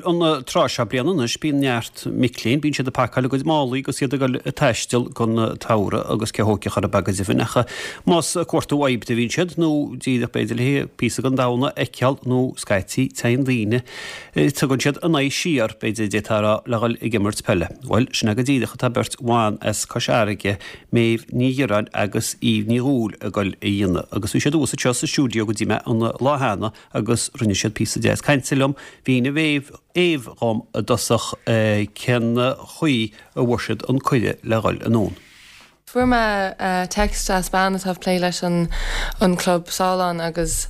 an tráth seo bliana anois bíonn neart mic léinn, bíonn siad ag pacáil a gcuid málaí agus iad ag dul ag taisteal don tsamhradh agus cé thógfadh orthu go deimhin ach más ag cuartú oibre a bhíonn siad nó díreach b'fhéidir le píosa den domhan a fheiceáil nó scaití téann daoine, tugann siad a n-aghaidh siar, b'fhéidir d'fhéadfá a rá, le dhul ag imirt peile. Bhuel, sin é go díreach atá beirt bhan as Cois Fharraige, Méabh Ní Dhireáin agus Eve Ní Dhúill ag dul a dhéanamh agus bhí siad thuas anseo sa stiúideo go dtí mé an lá cheana agus rinne siad píosa deas cainte liom. Mhínigh Méabh Éabh dhom i dtosach cén chaoi a bhfuair siad an cuireadh le dhul anonn. Fuair mé text as bean atá ag plé leis an an club sall ann agus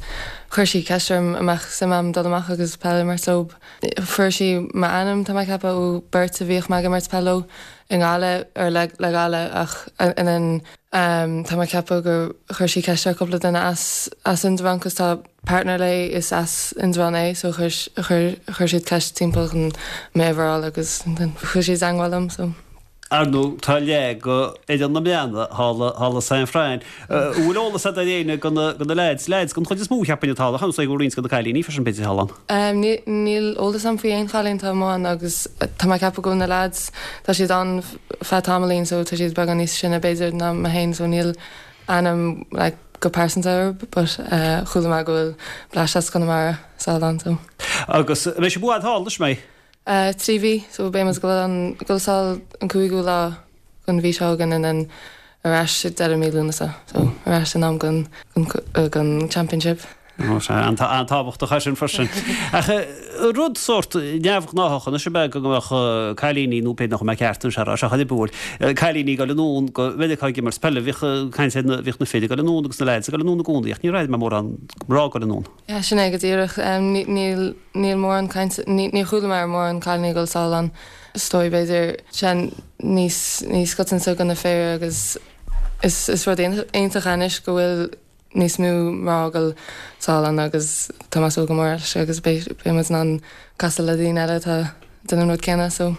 chuir sí ceist orm an mbeadh suim a'm dul amach agus peil a imirt leo. Fuair sí m'ainm, tá mé ag ceapadh, ó beirt a bhíodh mé ag imirt peil leo i nGaillimh, or le le Gaillimh ach and then tá mé ag ceapadh gur chuir sí ceist ar cúpla duine as as Indreabhán 'cause tá partner léi is as Indreabhán é so chuir chuir chuir siad ceist timpeall chun m'uimhir a fháil agus then chuaigh siad i dteangmháil liom so. Ar ndóigh tá leath go fhoireann na mbliana thall thall i San Fran. An bhfuil eolas agat ar éinne go na go na leaids, leaids den chuid is mó cheapfainn atá ann ach go bhfuil roinnt go na cailíní freisin b'fhéidir thall ann. Ní níl eolas agam faoi aon chailín atá amuigh ann agus tá mé ag ceapadh go bhfuil na leaids tá siad ann feadh tamaillín so tá siad beagán níos sine b'fhéidir ná mé féin so níl ainm like go pearsanta orthu but chuala mé go bhfuil bleaist as Conamara sall ann so. Agus an mbeidh sibh i bhfad thall anois mbeidh? 3 mhí so beidh muid ag dul an ag dul sall an 5ú lá den mhí seo chugainn and then ar ais ag deireadh mí Lúnasa so ar ais in am don don championship. An-tábhachtach é sin freisin. Ach rud sórt neamhghnáthach anois ab ea go mbeadh cailíní, nó b'fhéidir nach bhfuil mé ceart anois a rá, seachas ar bhfuil cailíní ag dul anonn go Meiriceá ag imirt peile. Bhíodh caint ar na, bhíodh na fir ag dul anonn agus na leaids ag dul anonn i gcónaí ach níor airigh mé mórán mná ag dul anonn. Yeah, sin é go díreach. Níl, níl mórán caint, níor chuala mé ar mórán cailíní ag dul sall ann. Is dóigh b'fhéidir sé níos, níos coitianta do na fir agus is, is rud iontach é anois go bhfuil níos mó mná ag dul sall ann agus tá mé ag súil go mór leis agus beidh muid in ann casadh le daoine eile atá ag déanamh an rud céanna so.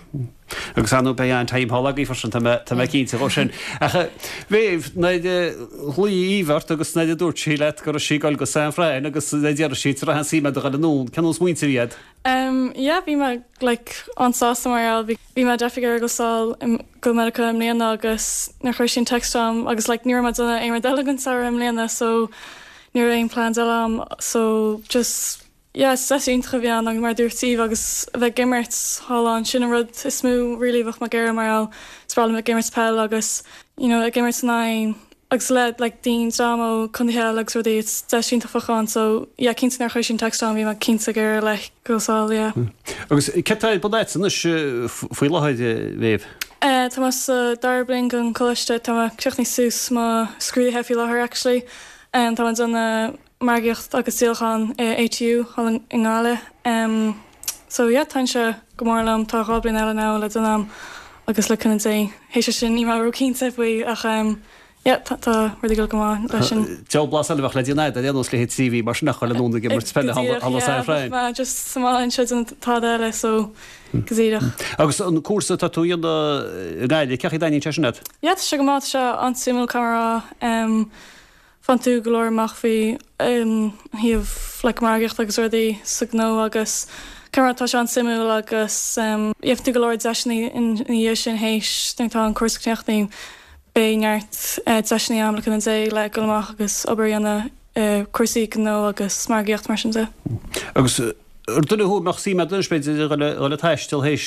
Agus ar ndóigh beidh an-time thall agaibh freisin, tá mé tá mé cinnte dhó sin. Ach Mhéabh, nuair a ghlaoigh Eve ort agus nuair a dúirt sí leat go raibh sí ag dul go San Fran agus nuair a d'iarr sí an raibh aon suim agat a dhul anonn, cén nós smaointe a bhí agat? Em yeah bhí mé like an-sásta mar gheall bhí bhí mé definitely ag iarraidh dul sall go Meiriceá i mbliana agus nuair a chuir sí an text chugam agus like ní raibh mé ag déanamh aon rud eile don samhradh i mbliana so ní raibh aon plans eile a'm so just yeah is deis iontach a bhí ann agus mar a dúirt Eve agus a bheith ag imirt thall ann sin an rud is mó really a bheadh mé ag iarraidh mar gheall is breá liom bheith ag imirt peil agus you know ag imirt in aghaidh agus le like daoine dream ó contaetha eile agus rudaí it's deis iontach a bheadh ann so yeah cinnte nuair a chuir sí an text chugam bhí mé cinnte ag iarraidh like dul sall yeah. Agus céard atá ar bun agat anois faoi láthair a Mhéabh? Eh tá mé sa dara bliain den choláiste tá mé ag críochnú suas mo scrúduithe faoi láthair actually eh tá mé ag déanamh margaíocht agus díolachán i ATU thall i nGaillimh em so yeah taitníonn sé go mór liom tá 2 bliain eile now le déanamh a'm agus le cúnamh Dé théis sin níl mé ró-cinnte faoi ach em yeah tá tá rudaí ag dul go maith leis sin. Diabhal blas eile a bheadh le déanamh agat ar aon nós le haghaidh 3 mhí mar sin ach dul anonn ag imirt peile thall i San Fran. Mé just sa mbaile anseo ag déanamh tada eile so go díreach. Agus an cúrsa atá tú a dhéanamh i nGaillimh, cén chaoi a dtaitníonn sé sin leat? Yeah tá sé go maith, tá sé an-suimiúil caithfidh mé a rá. Em Faigheann tú go leor amach faoi thaobh like margaíocht agus rudaí sa gnó agus caithfidh mé tá sé an-suimiúil agus gheobhaidh tú go leor deiseanna ina dhiaidh sin théis nuair atá an cúrsa críochnaithe beidh neart deiseanna ann le cúnamh Dé le dul amach agus obair a dhéanamh i cúrsaí gnó agus margaíocht mar sin de. Agus ar duine thú a mbeadh suim agat anois b'fhéidir a dhul ag taisteal théis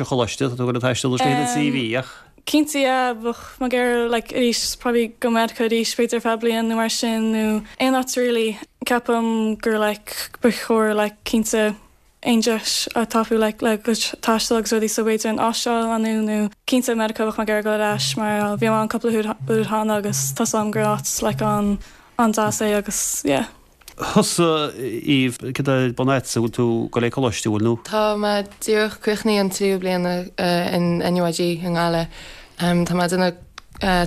an choláiste, tá tú ag dul ag taisteal anois le haghaidh na 3 mhí ach. Cinnte yeah, bheadh mé ag iarraidh like arís probably go Meiriceá arís b'fhéidir ar feadh bliain nó mar sin nó aon áit really. Ceapaim gur like ba chóir like cinnte aon deis a thapú like le go taisteal agus rudaí so b'fhéidir an Astráil nó nó cinnte Meiriceá bheadh mé ag iarraidh dul ar ais mar bhí mé ann cúpla uair cheana agus tá 's agam gur áit like an an-deas é agus yeah. Thusa, Eve, céard atá ar bun agatsa, bhfuil tú ag dul ag coláiste, bhfuil nó? Tá mé díreach críochnaithe an tríú bliain in NUIG i nGaillimh. Tá mé ag déanamh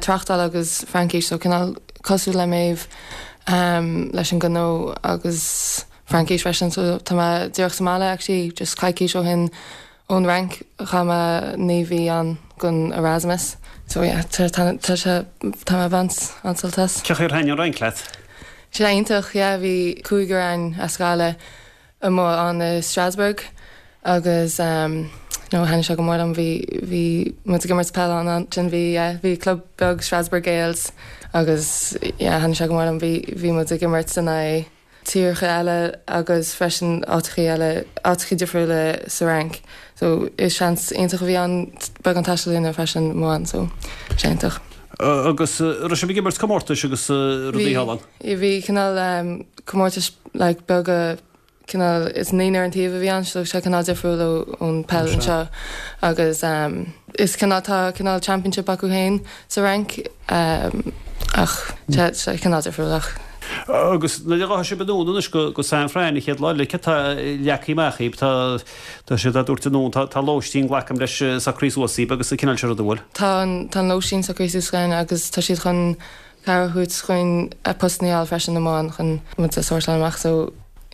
tráchtáil agus Fraincis, so cineál cosúil le Méabh leis an gnó agus Fraincis freisin. So tá mé díreach sa mbaile actually just coicís ó shin Ón Fhrainc, chaith mé 9 mhí ann don Erasmus. So yeah, tá tá sé tá mé ag baint an-sult as. Cén chaoi ar thaitin an Fhrainc leat? Sé iontach, yeah, bhí cúigear againn as Gaillimh amuigh ann i Strasbourg. Agus no thaitnigh sé go mór liom bhí bhí muid ag imirt peil ann ansin bhí yeah bhí club beag Strasbourg Gaels agus yeah thaitnigh sé go mór liom bhí bhí muid ag imirt in aghaidh tíortha eile agus freisin áiteachaí eile áiteachaí difriúla sa Fhrainc so is seans iontach a bhí ann beagán taistil a dhéanamh freisin amuigh ann so sé iontach. Agus raibh sibh ag imirt comórtais agus rudaí thall ann? Bhí bhí cineál comórtais like beaga cineál, is naonúr an taobh a bhí ann so sé cineál difriúil ón peil anseo agus is cineál, tá cineál championship acu féin sa Fhrainc ach sé sé cineál difriúil ach. Agus nuair a ghabhfaidh sibh anonn anois go go San Fran an chéad lá eile, céard tá leagtha amach daoibh? Tá tá siad á dtabhairt anonn, tá tá lóistín glacaim leis socraithe suas daoibh agus an cineál sin ruda, bhfuil? Tá an tá an lóistín socraithe suas againn agus tá siad chun cabhair a thabhairt chugainn postanna a fháil freisin amuigh ann chun muid a sórtáil amach so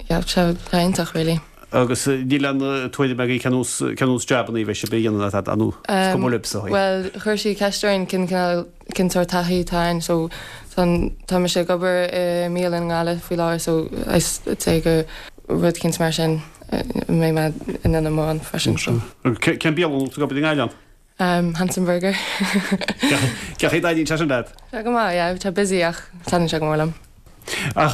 yeah sé sé iontach really. Agus níl aon tuairim agaibh cén nós cén nós jabanna a bheidh sibh a dhéanamh ná nó is cuma libhse. Bhuel chuir sí ceist orainn cén cineál cén sórt taithí atá againn so tá tá mise ag obair i mbialann i nGaillimh faoi láthair so I'd say gur rud eicínt mar sin a mbeidh mé in ann amuigh ann freisin so. Cén bialann tú ag obair i nGaillimh ann? Handsome Burger. Cén chaoi a dtaitníonn sé sin leat? Tá go maith, yeah, tá busy ach taitníonn sé go mór liom. Ach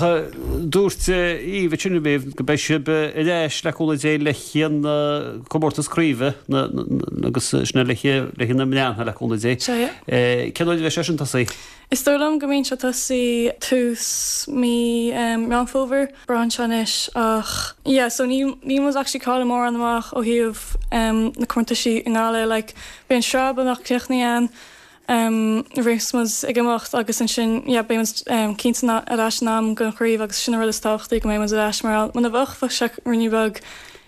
dúirt Eva ansin roimhe go mbeidh sibh ar ais le cúnamh Dé le haghaidh comórtas craoibhe agus sin le haghaidh na mblianta le cúnamh Dé. Sea, yeah. Cén uair a bheidh sé sin tosaithe? Is dóigh liom go mbíonn sé tosaí tús mí Meán Fómhair, braitheann sé anois ach yeah so níl níl muid actually ag cailleadh mórán amach ó thaobh na comórtaisí i nGaillimh like beidh an sraith beagnach críochnaithe ann nuair a bheas muid ag imeacht agus ansin yeah beidh muid cinnte ar ais in am don chraobh agus sin an rud is tábhachtaí go mbeidh muid ar ais mar muna bheadh bheadh sé ruainnín beag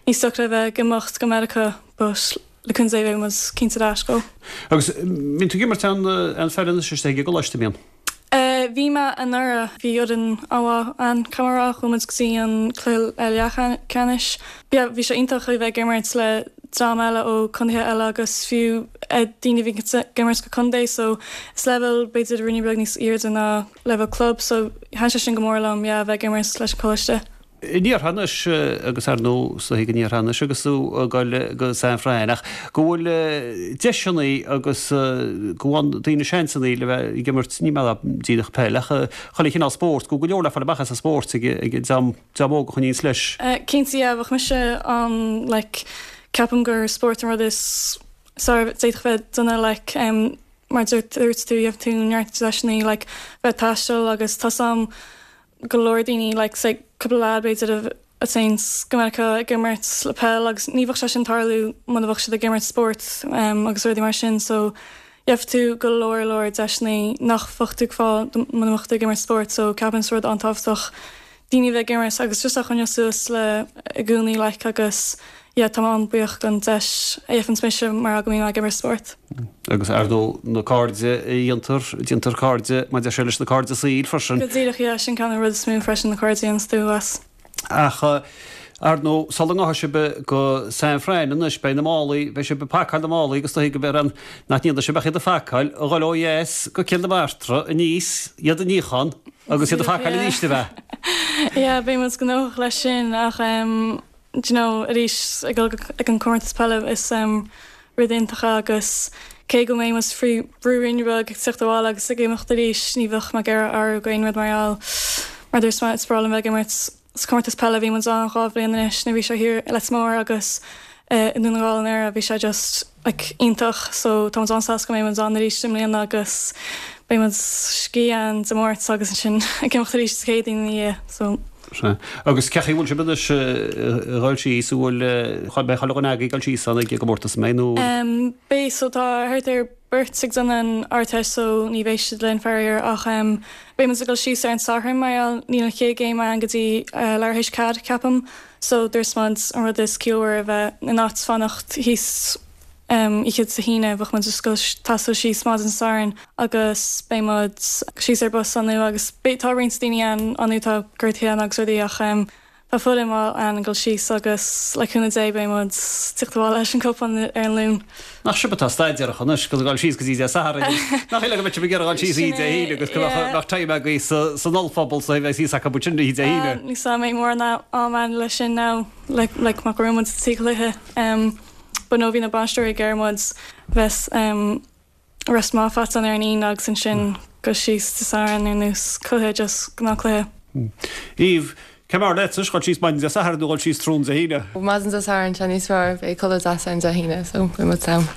níos deacra a bheith ag imeacht go Meiriceá but le cúnamh Dé beidh muid cinnte ar ais dhó. Agus mbíonn tú ag imirt aon aon pheil anois istigh ag an gcoláiste, mbíonn? Bhí mé anuraidh, bhí fhoireann an-mhaith ann, caithfidh mé a rá, chuaigh muid go dtí an cluiche leathcheannais. Yeah, bhí sé iontach a bheith ag imirt le dream eile ó contaetha eile agus fiú daoine a bhí ag imirt go contae so is leibhéal b'fhéidir ruainnín beag níos airde ná leibhéal club so thaitin sé sin go mór liom, yeah, a bheith ag imirt leis an choláiste. An ndéarfá anois, agus ar ndóigh is dóichí go ndéarfá anois agus tú ag dul go San Fran, ach go bhfuil deiseanna agus go bhfaigheann daoine seansanna le bheith ag imirt, ní mé díreach peil, ach chuile chineál spóirt, go bhfuil go leor le fáil amach as an spórt ag an dream óg a choinníonns leis. Cinnte, yeah, bheadh mise an, like, ceapaim gur spórt an rud is fearr a d'fhéadfadh bheith ag duine, like, mar dúirt tú, gheobhaidh tú neart deiseanna, like, bheith ag taisteal agus tá 's a'm, go leor daoine like say cúpla leaid b'fhéidir a théann go Meiriceá ag imirt le peil agus ní bheadh sé sin tarlú muna bheadh siad ag imirt spórt agus rudaí mar sin so gheobhaidh tú go leor leor deiseanna nach bheadh tú ag fáil muna mbeadh tú ag imirt spórt so ceapaim is rud an-tábhachtach daoine a bheith ag imirt agus just a choinneáil suas le i gcónaí like agus yeah tá mé an-buíoch don deis a gheibheanns mise mar go mbím ag imirt spórt. Agus ar ndóigh na cairde a dhéantar, déantar cairde mar deir sé leis na cairde saoil freisin. Go díreach yeah, sin ceann de na rud is mó freisin na cairde a dhéananns tú as. Ach ar ndóigh sula ngabhfaidh sibh go San Fran anois beidh na málaí, beidh sibh ag pacáil na málaí agus is dóichí go mbeidh an, nach ndéanfaidh sibh ach iad a phacáil, a dhul ó dheas go Cill na Martra aníos, iad a níochán agus iad a phacáil arís ab ea? Yeah beidh muid gnóthach leis sin ach em do you know, arís ag dul ag an comórtas peile is rud iontach é agus cé go mbeidh muid faoi bhrú ruainne beag ag tíocht abhaile agus ag imeacht arís ní bheadh mé ag iarraidh athrú go aon rud mar gheall mar dúirt mé is breá liom bheith ag imirt sa comórtas peile bhí muid ann 2 bhliain anois nuair bhí sé thiar i Leitir Móir agus i nDún na nGall anuraidh bhí sé just like iontach so tá muid an-sásta go mbeidh muid ann arís i mbliana agus beidh muid scíth ann Dé Máirt agus ansin ag imeacht arís Dé Céadaoin ina dhiaidh so. Sea. Agus cén chaoi a bhfuil sibh anois ag dul síos, an bhfuil, beidh chuile dhuine agaibh ag dul síos ann ag an gcomórtas, an mbeidh nó? Beidh, so tá thart ar beirt ag déanamh an Ardteist so ní bheidh siad linn faraor ach beidh muid ag dul síos ar an Satharn mar gheall níl an chéad game ann go dtí leathuair théis 4 ceapaim so dúirt muid an rud is ciallmhaire a bheith in áit fanacht thíos oíche Dé hAoine bheadh muid just ag taisteal síos maidin Sathairn agus beidh muid síos ar bus ann agus beidh tá roinnt daoine ann ann atá gortaithe ann agus rudaí ach tá. Tá fulaingt maith ann ag dul síos agus le cúnamh Dé beidh muid tíocht abhaile leis an cupán ar an Luan. Nach sibh atá staidéarach anois agus ag dul síos go dtí Dé Sathairn agus nach shíl go mbeidh sibh ag iarraidh dul síos oíche Dé hAoine agus go mbeadh time agaibh san ollphuball so bheidh fhios acu sin oíche Dé hAoine. Ní sa mbeidh mórán am ann leis sin now like like mar go raibh muid trí chluiche but no bhí na bainisteoirí ag iarraidh muid bheith rest maith faighte ar an Aoine agus ansin go síos Dé Sathairn ar nós cluiche just gnáthchluiche. Eve, Cé mb'fhearr leatsa, dhul síos maidin Dé Sathairn nó dhul síos tráthnóna Dé hAoine? Maidin Dé Sathairn, tá níos fearr, beidh codladh deas ann Dé hAoine so beidh muid sound.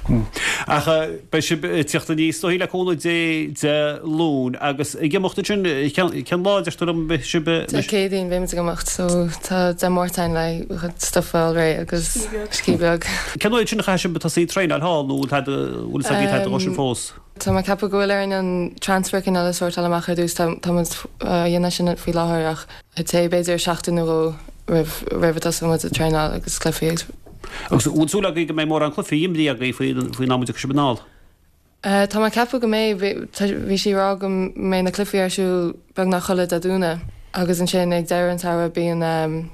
Ach beidh sibh ag tíocht aníos is dóichí le cúnamh Dé Dé Luain agus ag imeacht ansin, cén lá a deir tú liom beidh sibh? Dé Céadaoin beidh muid ag imeacht so tá Dé Máirt ann le stuff a fháil réidh agus scíth beag. Cén uair sin a chaithfidh sibh tosaí ag traenáil thall nó bhfuil bhfuil fhios agaibh tada dhó sin fós? Tá mé ag ceapadh go bhfuil orainn an transfer cineál a sórtáil amach ar dtús, tá tá muid á dhéanamh sin faoi láthair ach I'd say b'fhéidir seachtain nó dhó roimh roimh a dtosóidh muid ag traenáil agus cluichí agus. Agus bhfuil súil agaibh go mbeidh mórán cluichí imrithe agaibh faoin am a dtiocfaidh sibh anall? Tá mé ag ceapadh go mbeidh. Bhí sí ag rá go mbeidh na cluichí ar siúl beagnach chuile Dé Domhnaigh agus ansin ag deireadh an tsamhraidh bíonn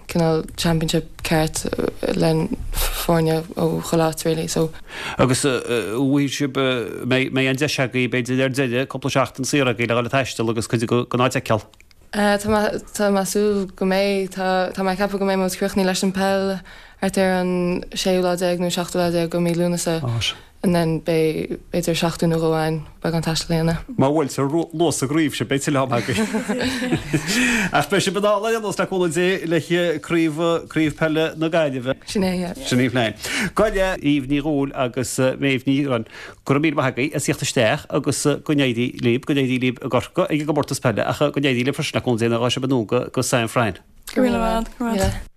cineál championship ceart le foirne ó chuile áit really so. Agus bhfuil sibh, mbeidh an deis agaibh b'fhéidir ar deireadh cúpla seachtain saor agaibh le dhul ag taisteal agus cuid den áit a fheiceáil? Tá mé, tá mé ag súil go mbeidh. Tá, tá mé ag ceapadh go mbeidh muid críochnaithe leis an peil thart ar an séú lá déag nó seachtú lá déag de mí Lúnasa. And then beidh b'fhéidir seachtain nó dhó againn beagán taistil a dhéanamh. Má bhuailtear luas sa gcraobh seo beidh tuilleadh ama agaibh. Ach beidh sibh anall ar aon nós le cúnamh Dé le craobh craobh peile na Gaillimhe. Sin é, yeah. Sin í an plean. Gabh i leith Eve Ní Dhúill agus Méabh Ní Dhireáin, go raibh míle maith agaibh as theacht isteach agus go n-éirí libh, go n-éirí libh i gCorcaigh ag an gcomórtas peile ach go n-éirí libh freisin le cúnamh Dé nuair a ghabhfaidh sibh anonn go go San Fran. Go raibh míle maith agat, go raibh maith agat.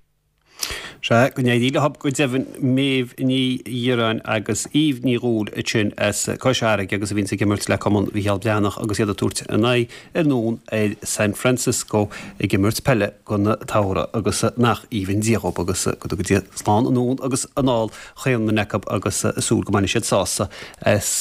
Sea, go n-éirí leo go deimhin, Méabh Ní Dhireáin agus Eve Ní Dhúill ansin as Cois Fharraige agus a bhíonns ag imirt le Cumann Mhicheál Breathnach agus iad ag tabhairt a n-aghaidh anonn ar San Francisco ag imirt peile don tsamhradh agus nach aoibhinn Dia dhób agus go dtuga Dia slán anonn agus anall chaon duine acu agus súil go mbainfidh siad sásamh as.